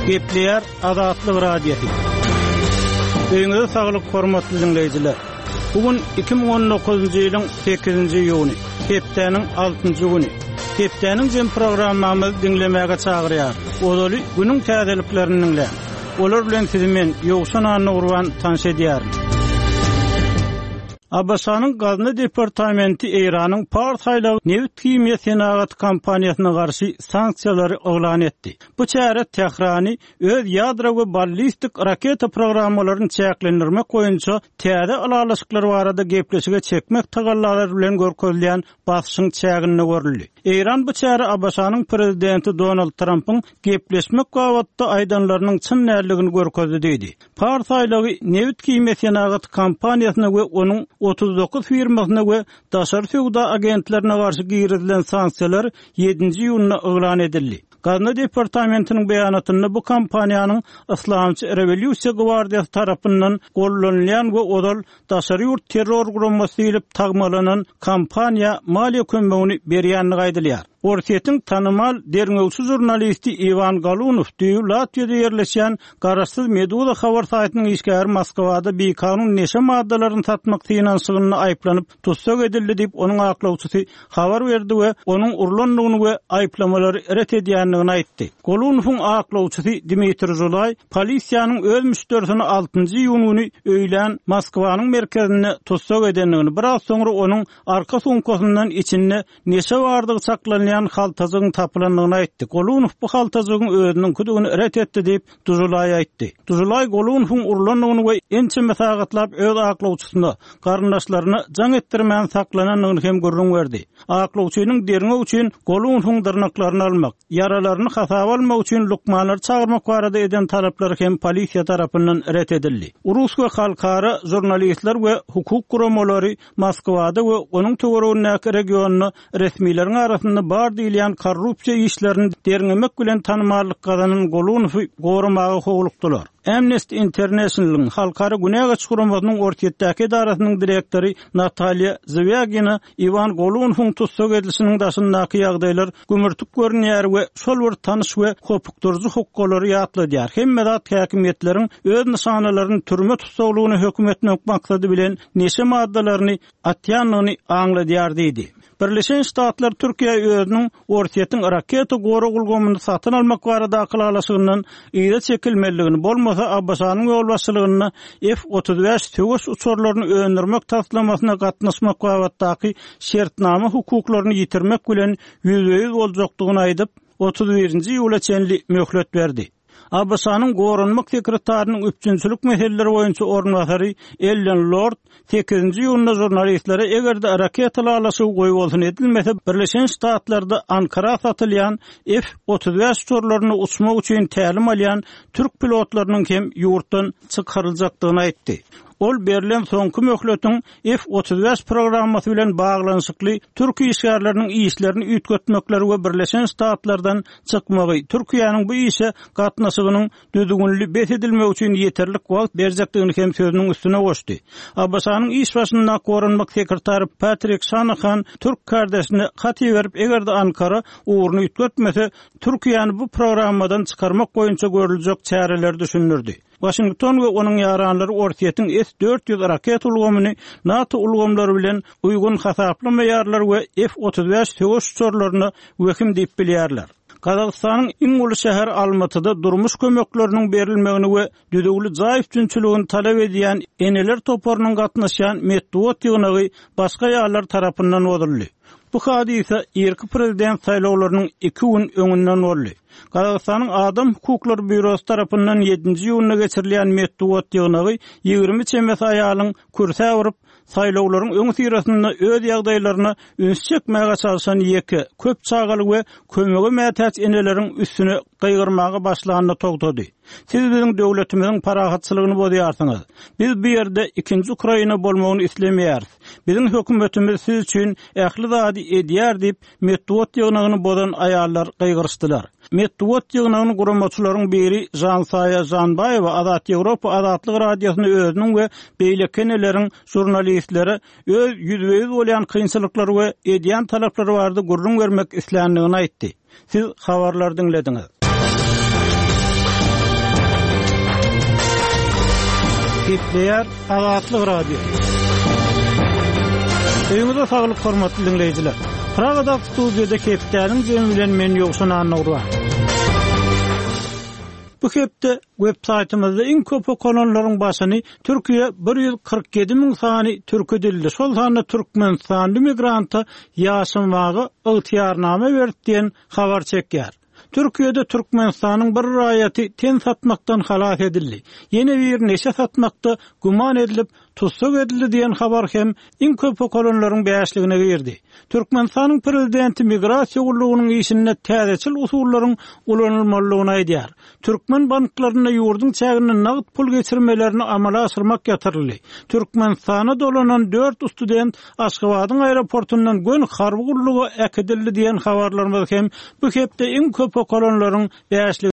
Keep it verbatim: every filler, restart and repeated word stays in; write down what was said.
Gepleýär Azatlyk Radiosy. Öýüňize saglyk hormatly dinleýjiler. Bu gün iki müň on dokuzynjy ýylyň sekizinji iýuny, hepdäniň altynjy güni. Hepdäniň jem programmamyzy diňlemäge çagyrýar. Ozaly günüň täzeliklerini diňläň. Olar bilen sizi men Ýowşan Annagurban tanyş edýärin. A B Ş-nyň Gazna departamenti Eýranyň Pars aýlagy nebit himiýa senagat kompaniýasyna garşy sanksiýalary yglan etdi. Bu çäre Tährany öz ýadro we ballistik raketa programmalaryny çäklendirmek boýunça täze ylalaşyklar barada gepleşige çekmek tagallalary bilen görkezilýän basyşyň çäginde görüldi. Eýran bu çäre A B Ş-nyň prezidenti Donald Trumpyň gepleşmek babatda aýdanlarynyň çyn däldigini görkezdi diýdi. Pars aýlagy nebit himiýa senagat kompaniýasyna we onuň otuz dokuz firmasyna we daşary söwda agentlerine garşy girizilen sanksiýalar ýedinji iýunda yglan edildi. Gazna departamentiniň beýanatynda bu kompaniýanyň Islamçy Rewolýusiýa gwardiýasy tarapyndan gollanylýan we ozal daşary ýurt terror guramasy diýlip tagmalanan kompaniýa maliýe kömegini berýänligi aýdylýar. Orsýetiň tanymal derňewçi žurnalisti Iwan Galunow düýn Latwiýada ýerleşýän garaşsyz Meduza habar saýtynyň işgäri Moskwada bikanun neşe maddalaryny satmak synanyşygynda aýyplanyp tussag edildi diýip onuň aklawçysy habar berdi we onuň urlandygyny we aýyplamalary ret edýändigini aýtdy. Galunowyň aklawçysy Dmitri Žulay polisiýanyň öz müşderisini altynjy iýun güni öýlän Moskwanyň merkezinde tussag edendigini, biraz soňra onuň arka sumkasyndan içinde neşe bardygy çaklanýan haltajygyň tapylandygyny aýtdy. Galunow bu haltajygyň özüniň küdügini ret etdi diýip Dujulay aýtdy. Dujulay Galunowyň urlandygyny we ençeme sagatlap öz aklawçysyna, garyndaşlaryna jaň etdirmän saklanandygyny hem gürrüň berdi. Aklawçynyň derňew üçin Galunowyň dyrnaklaryny almak, ýaralaryny hasaba almak üçin lukmanlary çagyrmak barada eden talaplary hem polisiýa tarapyndan ret edildi. Rus we halkara žurnalistler we hukuk guramalary Moskwada we onuň töweregindäki regionda resmileriň arasynda bar diýilýän korrupsiýa işlerini derňemek bilen tanymallyk gazanan Galunowy goramaga howlukdylar. Amnesty International'yň halkara günä gaç guramasynyň Orsýetdäki edarasynyň direktory Natalýa Zwýagina Iwan Galunowyň tussag edilişiniň daşyndaky ýagdaýlar gümürtik görünýär we şol bir tanyş we hopukdyryjy hukgalary ýatladýar. Hemme zat häkimiýetleriň öz nyşanalaryny türme tussaglygyna höküm etmek maksady bilen neşe maddalaryny atýandygyny aňladýar diýdi. Birleşen Ştatlar Türkiýe özüniň Orsýetiň raketa gorag ulgamyny satyn almak baradaky ylalaşygyndan yza çekilmelidigini, bolmasa A B Ş-nyň ýolbaşçylygynda F otuz bäş söweş uçarlaryny öndürmek taslamasyna gatnaşmak babatdaky şertnama hukuklaryny ýitirmek bilen ýüzbe-ýüz boljakdygyny aýdyp, otuz birinji iýula çenli möhlet berdi. A B Ş-nyň goranmak sekretarynyň üpjünçilik meseleleri boýunça orunbasary Ellen Lord sekizinji iýunda žurnalistlere eger-de raketa ylalaşygy goýbolsun edilmese, Birleşen Ştatlarda Ankara satylýan F otuz bäş uçarlaryny uçmak üçin tälim alýan türk pilotlarynyň hem ýurtdan çykaryljakdygyny aýtdy. Ol berlen soňky möhletiň F otuz bäş programmasy bilen baglanyşykly türk işgärleriniň işlerini üýtgetmekleri we Birleşen Ştatlardan çykmagy, Türkiýäniň bu işe gatnaşygynyň düzgünli bes edilmegi üçin ýeterlik wagt berjekdigini hem sözüniň üstüne goşdy. A B Ş-nyň iş başynda goranmak sekretary Patrick Shanahan türk kardeşine hat iberip, eger-de Ankara ugruny üýtgetmese, Türkiýäni bu programmadan çykarmak boýunça görüljek çäreleri düşündirdi. Washington we onuň ýaranlary Orsýetiň S dört ýüz raket ulgamyny NATO ulgamlary bilen uýgun hasaplamaýarlar we F otuz bäş söweş uçarlaryna wehim diýip bilýärler. Gazagystanyň iň uly şäheri Almatyda durmuş kömekleriniň berilmegini we düzüwli jaý üpjünçiligini talap edýän eneler toparynyň gatnaşýan metbugat ýygnagy başga ýerler tarapyndan bozuldy. Bu hadysa irki prezident saýlawlarynyň iki gün öňünden boldy. Gazagystanyň Adam Hukuklary Býurosy tarapyndan ýedinji iýunda geçirilýän metbugat ýygnagy ýigrimi çemesi aýalyň kürsä urup, saýlawlaryň öň syrasynda öz ýagdaýlaryna üns çekmäge çalşan ýeke, köp çagaly we kömege mätäç eneleriň üstüne gygyrmaga başlanyny togtady. Siz biziň döwletimiziň parahatçylygyny bozýarsyňyz. Biz bu ýerde ikinji Ukraina bolmagyny islemeýäris. Biziň hökümetimiz siz üçin ähli zady edýär diýip, metbugat ýygnagyny bozan aýallar gygyryşdylar. Metbugat ýygnagyny guramaçylaryň biri Žansaýa Žanbaýewa Azat Ýewropa Azatlyk Radiosyny özüniň we beýleki eneleriň žurnalistlere öz ýüzbe-ýüz bolýan kynçylyklary we edýän talaplary barada gürrüň bermek isländigini aýtdy. Siz habarlar diňlediňiz. Gepleýär Azatlyk Radiosy. Öýüňize saglyk hormatly diňleýjiler. Pragadaky studiýada hepdäniň jemi bilen men Ýowşan Annagurban. Bu hepde web saýtymyzda iň köp okalanlaryň başyny Türkiýe bir ýüz kyrk ýedi müň sany türki dilli, şol sanda türkmenistanly migranta ýaşamaga ygtyýarnama berdi diýen habar çekýär. Türkiýede Türkmenistanyň bir raýaty ten satmakdan halas edildi. Ýene biri neşe satmakda güman edilip, tussag edildi diýen habar hem iň köp okalanlaryň bäşligine girdi. Türkmenistanyň prezidenti migrasiýa gullugynyň işinde täzeçil usullaryň ulanylmalydygyny aýdýar. Türkmen banklarynda ýurduň çäginde nagt pul geçirmelerini amala aşyrmak ýatyryldy. Türkmenistana dolanan dört student Aşgabadyň aeroportundan göni harby gulluga äkidildi diýen habarlarymyz hem bu hepde iň köp okalanlaryň bäşligine